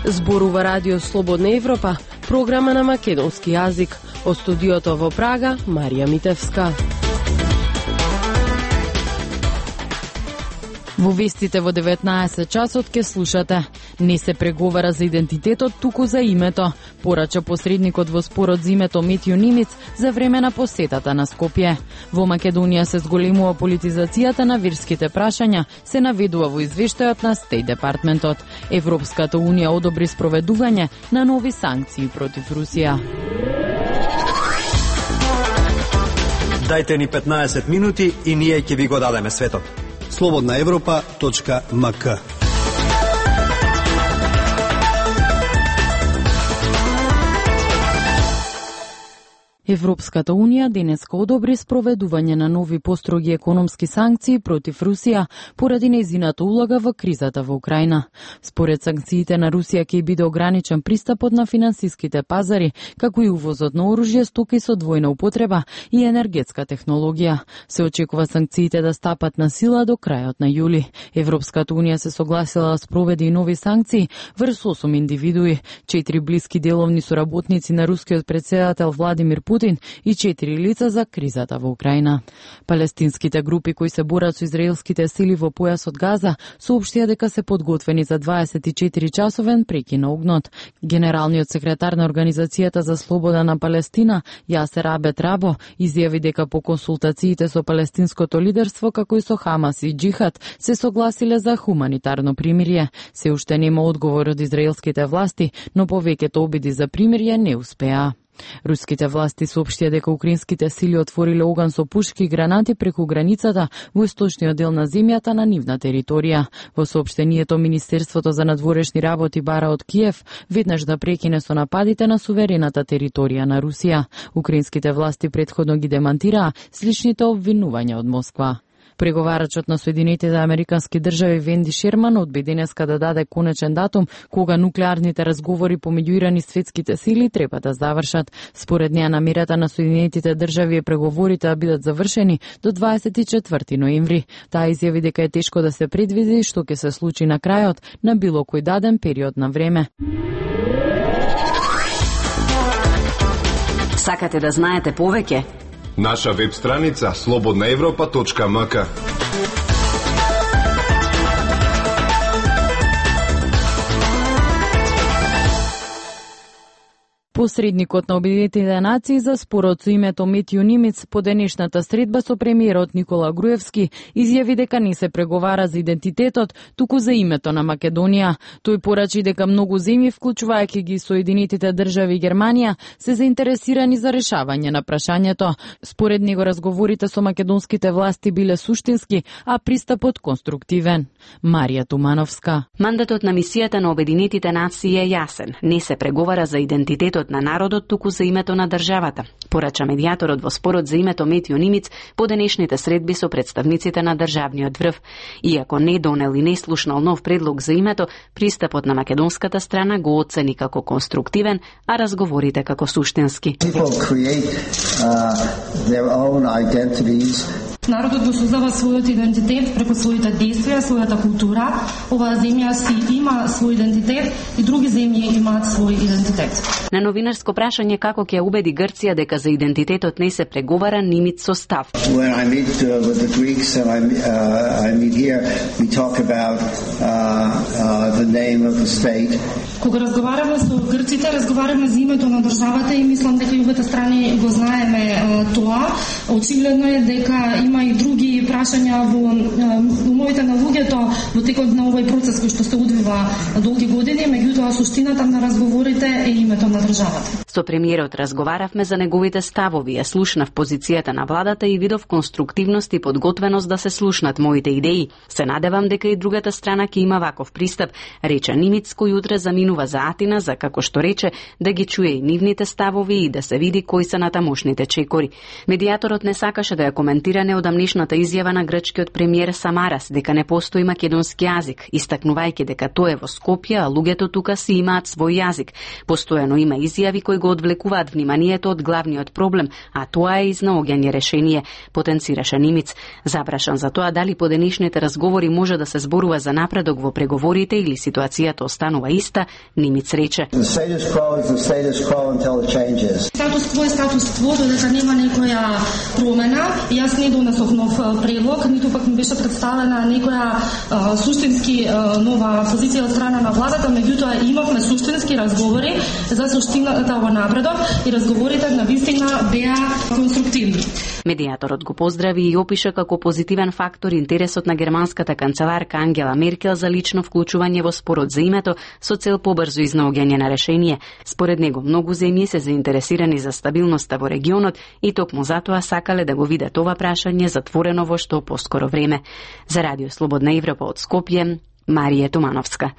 Зборува Радио Слободна Европа, програма на македонски јазик. Од студиото во Прага, Марија Митевска. Во вестите во 19 часот ке слушате. Не се преговара за идентитетот, туку за името. Порача посредникот во спорот за името Метју Нимиц за време на посетата на Скопје. Во Македонија се зголемува политизацијата на верските прашања, се наведува во извештајот на Стејт Департментот. Европската унија одобри спроведување на нови санкции против Русија. Дајте ни 15 минути и ние ќе ви го дадеме светот. slobodnaevropa.mk. Европската унија денеска одобри спроведување на нови построги економски санкции против Русија поради нејзината улога во кризата во Украина. Според санкциите на Русија ќе биде ограничен пристапот на финансиските пазари, како и увозот на оружје, стоки со двојна употреба и енергетска технологија. Се очекува санкциите да стапат на сила до крајот на јули. Европската унија се согласила да спроведе и нови санкции врз 8 индивидуи, 4 блиски деловни соработници на рускиот претседател Владимир Путин и 4 лица за кризата во Украина. Палестинските групи кои се борат со израелските сили во појасот Газа соопштија дека се подготвени за 24-часовен прекин на огнот. Генералниот секретар на Организацијата за слобода на Палестина, Јасер Абед Рабо, изјави дека по консултациите со палестинското лидерство, како и со Хамас и Џихад, се согласиле за хуманитарно примирие. Се уште нема одговор од израелските власти, но повеќето обиди за примирие не успеа. Руските власти соопштија дека украинските сили отвориле оган со пушки и гранати преку границата во источниот дел на земјата на нивна територија. Во соопштението Министерството за надворешни работи бара од Киев веднаш да прекине со нападите на суверената територија на Русија. Украинските власти претходно ги демантираа сличните обвинувања од Москва. Преговарачот на Соединетите американски држави Венди Шерман одби денеска да даде конечен датум кога нуклеарните разговори помеѓу Иран и светските сили треба да завршат. Според неа намерата на Соединетите држави е преговорите да бидат завршени до 24 ноември. Таа изјави дека е тешко да се предвиди што ќе се случи на крајот на било кој даден период на време. Сакате да знаете повеќе? Наша веб страница slobodnaevropa.mk. Посредникот на Обединетите нации за спорот со името Метју Нимиц по денешната средба со премиерот Никола Груевски изјави дека не се преговара за идентитетот, туку за името на Македонија. Тој порачи дека многу земји, вклучувајќи ги Соединетите држави и Германија, се заинтересирани за решавање на прашањето. Според него разговорите со македонските власти биле суштински, а пристапот конструктивен. Марија Тумановска. Мандатот на мисијата на Обединетите нации е јасен. Не се преговара за идентитетот на народот, туку за името на државата. Порача медијаторот во спорот за името Метју Нимиц по денешните средби со представниците на државниот врв. Иако не донел и не слушнал нов предлог за името, пристапот на македонската страна го оцени како конструктивен, а разговорите како суштински. Народот го создава својот идентитет преку своите действија, својата култура. Оваа земја си има свој идентитет и други земји имаат свој идентитет. На новинарско прашање како ќе убеди Грција дека за идентитетот не се преговара, Нимиц со став. When I meet with the Greeks and I meet here, we talk about the name of the state. Кога разговараме со грците, разговараме за името на државата и мислам дека и обете страни го знаеме тоа. Очигледно е дека има и други прашања во умовите на луѓето во текот на овој процес кој што се одвива долги години, меѓутоа суштината на разговорите е името на државата. Со премиерот разговаравме за неговите ставови, ја слушнав позицијата на владата и видов конструктивност и подготвеност да се слушнат моите идеи. Се надевам дека и другата страна ќе има ваков пристап, рече Нимиц, кој утре заминува за Атина за, како што рече, да ги чуе и нивните ставови и да се види кои се натамошните чекори. Медијаторот не сакаше да ја коментира неодамнешната изјава на грчкиот премиер Самарас дека не постои македонски јазик, истакнувајќи дека тој е во Скопје, а луѓето тука си имаат свој јазик. Постојано има изјави кои го одвлекуваат вниманието од главниот проблем, а тоа е изнаоѓање решение, потенцираше Нимиц. Запрашан за тоа дали по денешниот сегашните разговори може да се зборува за напредок во преговорите или ситуацијата останува иста, Нимиц рече. Статус кво е статус кво, додека нема некоја промена. Јас не донесов нов предлог, ниту пак ми беше представена некоја суштински нова позиција од страна на владата, меѓутоа имавме суштински разговори за суштината во напредок и разговорите на вистина беа конструктивни. Медијаторот го поздрави и опиша како позитивен фактор интересот на германската канцеларка Ангела Меркел за лично вклучување во спорот за името со цел побрзо изнаоѓање на решение. Според него, многу земји се заинтересирани за стабилноста во регионот и токму затоа сакале да го видат ова прашање затворено во што поскоро време. За Радио Слободна Европа од Скопје, Марија Тумановска.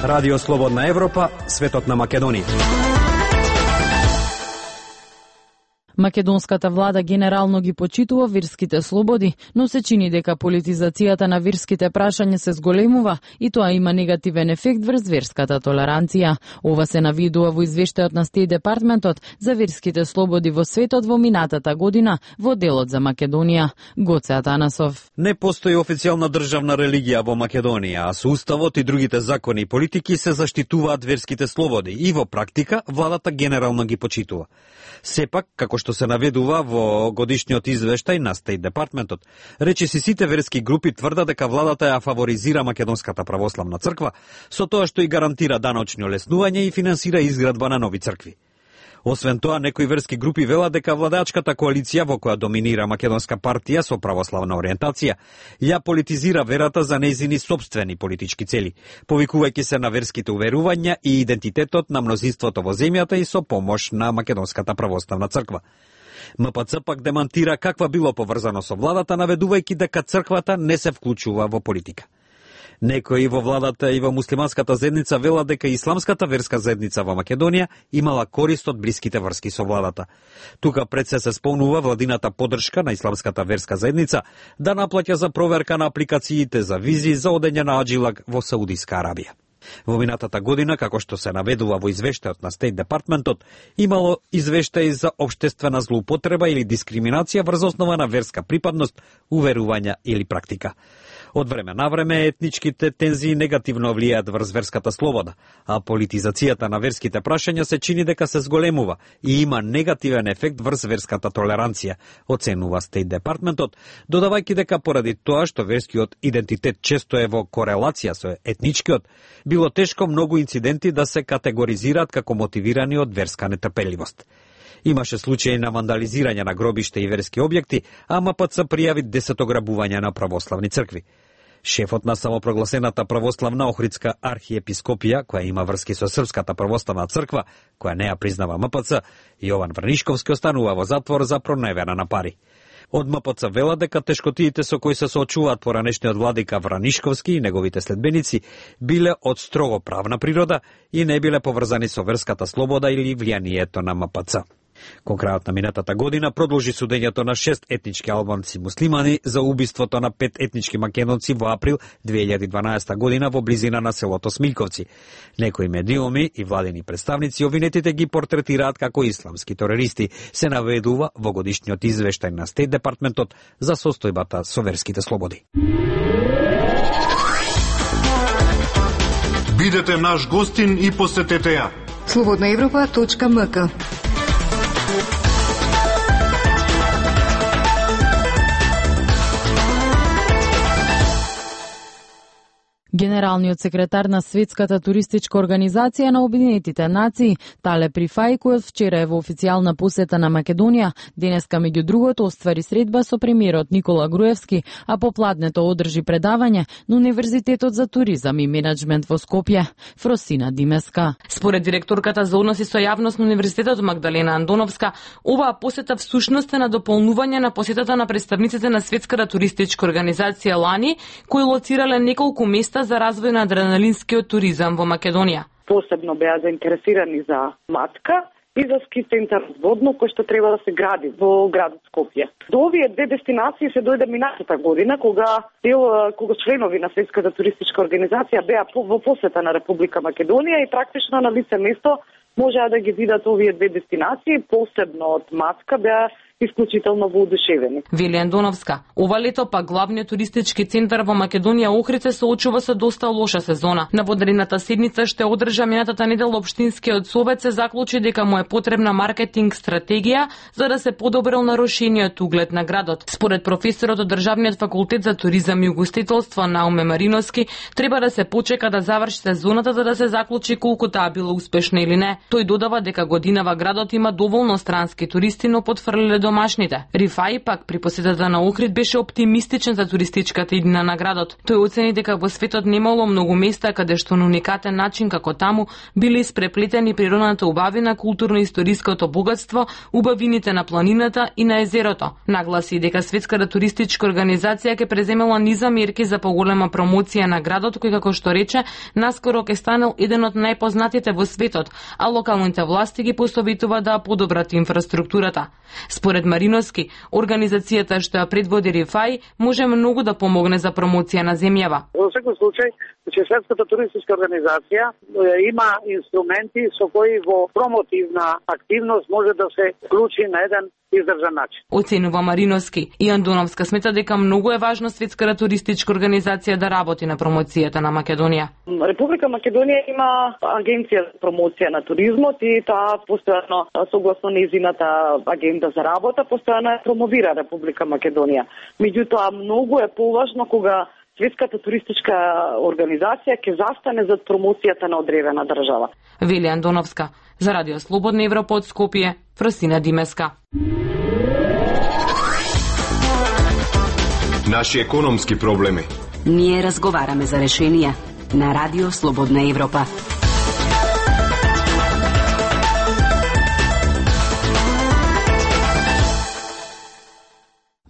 Радио Слободна Европа, светот на Македонија. Македонската влада генерално ги почитува верските слободи, но се чини дека политизацијата на верските прашања се зголемува и тоа има негативен ефект врз верската толеранција. Ова се навидува во извештајот на Стејт департментот за верските слободи во светот во минатата година во делот за Македонија. Гоце Атанасов. Не постои официјална државна религија во Македонија, а со уставот и другите закони и политики се заштитуваат верските слободи и во практика владата генерално ги почитува. Сепак, како што се наведува во годишниот извештај на Стејт департментот, речиси сите верски групи тврдат дека владата ја фаворизира Македонската православна црква со тоа што и гарантира даночни олеснување и финансира изградба на нови цркви. Освен тоа, некои верски групи велат дека владачката коалиција во која доминира Македонска партија со православна ориентација ја политизира верата за нејзини сопствени политички цели, повикувајќи се на верските уверувања и идентитетот на мнозинството во земјата и со помош на Македонската православна црква. МПЦ пак демантира каква било поврзано со владата, наведувајќи дека црквата не се вклучува во политика. Некои во владата и во муслиманската заедница велат дека исламската верска заедница во Македонија имала корист од блиските врски со владата. Тука пред се спомнува владината поддршка на исламската верска заедница да наплаќа за проверка на апликациите за визи за одење на аджилак во Саудиска Арабија. Во минатата година, како што се наведува во извештајот на Стејт департментот, имало извештаи за општествена злоупотреба или дискриминација врз основа на верска припадност, уверувања или практика. Од време на време етничките тензии негативно влијаат врз верската слобода, а политизацијата на верските прашања се чини дека се зголемува и има негативен ефект врз верската толеранција, оценува Стејт департментот, додавајќи дека поради тоа што верскиот идентитет често е во корелација со етничкиот, било тешко многу инциденти да се категоризираат како мотивирани од верска нетрпеливост. Имаше случаи на вандализирање на гробишта и верски објекти, а МПЦ пријави 10 ограбувања на православни цркви. Шефот на самопрогласената православна Охридска архиепископија, која има врски со Српската православна црква, која не ја признава МПЦ, Јован Вранишковски останува во затвор за проневера на пари. Од МПЦ вела дека тешкотиите со кои се соочуваат поранешниот владика Вранишковски и неговите следбеници биле од строго правна природа и не биле поврзани со верската слобода или влијанието на МПЦ. Кон крајот на минатата година продолжи судењето на 6 етнички албанци муслимани за убиството на 5 етнички македонци во април 2012 година во близина на селото Смилковци. Некои медиуми и владени представници обвинетите ги портретираат како исламски терористи, се наведува во годишниот извештај на Стејт департментот за состојбата со верските слободи. Бидете наш гостин и посетете ја. slobodnaevropa.mk. Генералниот секретар на Светската туристичка организација на Обединетите нации, Тале Прифај, кој вчера е во официјална посета на Македонија, денеска меѓу другото оствари средба со премиерот Никола Груевски, а попладнето одржи предавање на Универзитетот за туризам и менеджмент во Скопје. Фросина Димеска. Според директорката за односи со јавност на Универзитетот Магдалена Андоновска, оваа посета всушност е на дополнување на посетата на представниците на Светската туристичка организација лани, кои лоцирале неколку места за развој на адреналинскиот туризам во Македонија. Посебно беа заинтересирани за Матка и за ски центар Водно, кој што треба да се гради во градот Скопје. До овие две дестинации се дојде минатата година, кога членови на Светската туристичка организација беа во посета на Република Македонија и практично на лице место можеа да ги видат овие две дестинации, посебно од Матка беа исклучително воодушевени. Вели Андоновска. Ова лето па главниот туристички центар во Македонија Охрид се соочува со доста лоша сезона. На водрената седница што одржа минатата недела општинскиот совет се заклучи дека му е потребна маркетинг стратегија за да се подобрил нарушениот углед на градот. Според професорот од Државниот факултет за туризам и угостителство Науме Мариновски, треба да се почека да заврши сезоната за да се заклучи колку таа била успешна или не. Тој додава дека годинава градот има доволно странски туристи, но потфрлиле домашните. Рифаи пак при посетата на Охрид беше оптимистичен за туристичката иднина на градот. Тој оцени дека во светот немало многу места каде што на уникатен начин како таму биле испреплетени природната убавина, културно-историското богатство, убавините на планината и на езерото. Нагласи дека Светската туристичка организација ќе преземела низа мерки за поголема промоција на градот, кој како што рече, наскоро ќе станел еден од најпознатите во светот, а локалните власти ги посоветува да подобрат инфраструктурата. Според Мариновски, организацијата што ја предводи Рифаи може многу да помогне за промоција на земјава. Во секој случај, Светската туристичка организација има инструменти со кои во промотивна активност може да се вклучи на еден издржан начин. Оценува Мариновски. И Андоновска смета дека многу е важно Светската туристичка организација да работи на промоцијата на Македонија. Република Македонија има агенција за промоција на туризмот и таа постојано согласно нејзината агенда за работа постојано ја промовира Република Македонија. Меѓутоа многу е поважно кога Светската туристичка организација ќе застане за промоцијата на одредена држава. Вели Андоновска. За Радио Слободна Европа од Скопје, Фросина Димеска. Наши економски проблеми. Ние разговараме за решенија на Радио Слободна Европа.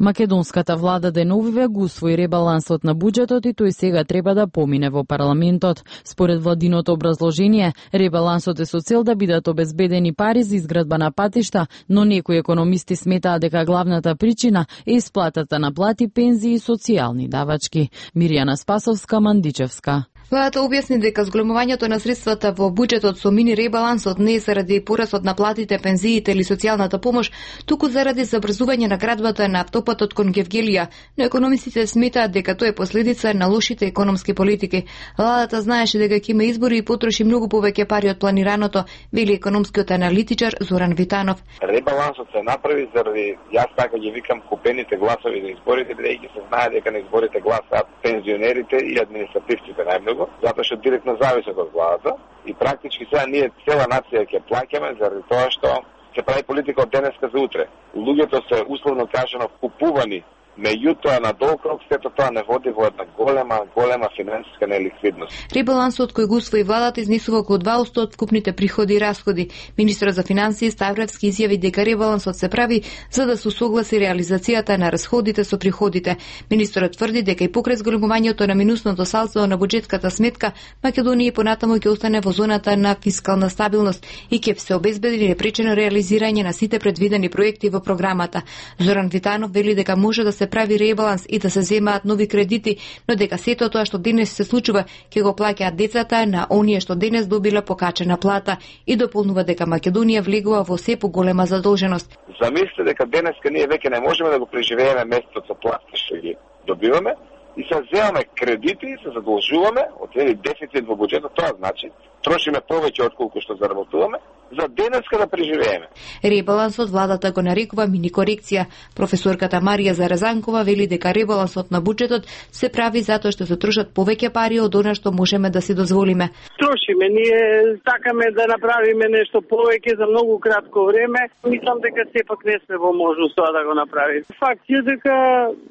Македонската влада деновиве го усвои ребалансот на буџетот и тој сега треба да помине во парламентот. Според владиното образложение, ребалансот е со цел да бидат обезбедени пари за изградба на патишта, но некои економисти сметаат дека главната причина е исплатата на плати, пензии и социјални давачки. Мирјана Спасовска, Мандичевска. Владата објасни дека зголемувањето на средствата во буџетот со мини ребалансот не е заради порасот на платите, пензиите или социјалната помош, туку заради забрзување на градбата на автопатот кон Гевгелија, но економистите сметаат дека тоа е последица на лошите економски политики. Владата знаеше дека ќе има избори и потроши многу повеќе пари од планираното, вели економскиот аналитичар Зоран Витанов. Ребалансот се направи заради, јас така ги викам, купените гласови за изборите, бидејќи се знае дека на изборите гласаат пензионерите и административците најмногу, затоа што директно зависат од владата и практички сега ние цела нација ќе плаќаме заради тоа што се прави политика од денеска за утре. Луѓето се условно кажано купувани, меѓутоа на долг сето тоа не води во една голема финансиска неликвидност. Ребалансот кој го усвои владата изнесува околу 2% од вкупните приходи и расходи. Министерот за финансии Ставревски изјави дека ребалансот се прави за да се усогласи реализацијата на расходите со приходите. Министерот тврди дека и покрај зголемувањето на минусното салдо на буџетската сметка, Македонија понатаму ќе остане во зоната на фискална стабилност и ќе се обезбеди непречено реализирање на сите предвидени проекти во програмата. Зоран Витанов вели дека може да се прави ребаланс и да се земаат нови кредити, но дека сето тоа што денес се случува ќе го плаќаат децата на оние што денес добила покачена плата и дополнува дека Македонија влегува во се поголема задолженост. Замислете дека денеска ние веќе не можеме да го преживееме месецот со плати што ги добиваме и се земаме кредити и се задолжуваме од еден дефицит во буџетот, тоа значи трошиме повеќе отколку што заработуваме за денеска да преживееме. Ребалансот владата го нарекува мини корекција. Професорката Марија Заразанкова вели дека ребалансот на буџетот се прави затоа што се трошат повеќе пари од она што можеме да си дозволиме. Трошиме, ние сакаме да направиме нешто повеќе за многу кратко време. Мислам дека сепак не сме во можност тоа да го направиме. Факт е дека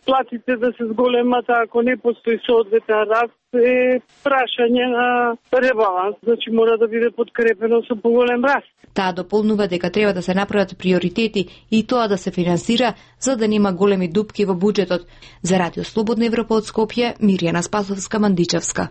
платите да се зголемат, ако не постои соодветен раст, е прашање на ребаланс, значи мора да биде подкрепено со поголем раст. Таа дополнува дека треба да се направат приоритети и тоа да се финансира за да нема големи дупки во буџетот. За Радио Слободна Европа од Скопје, Мирјана Спасовска, Мандичевска.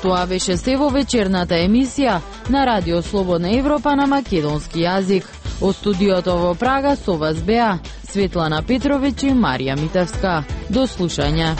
Тоа беше се во вечерната емисија на Радио Слободна Европа на македонски јазик. Од студиото во Прага со вас беа Светлана Петровиќ и Марија Митевска. До слушање.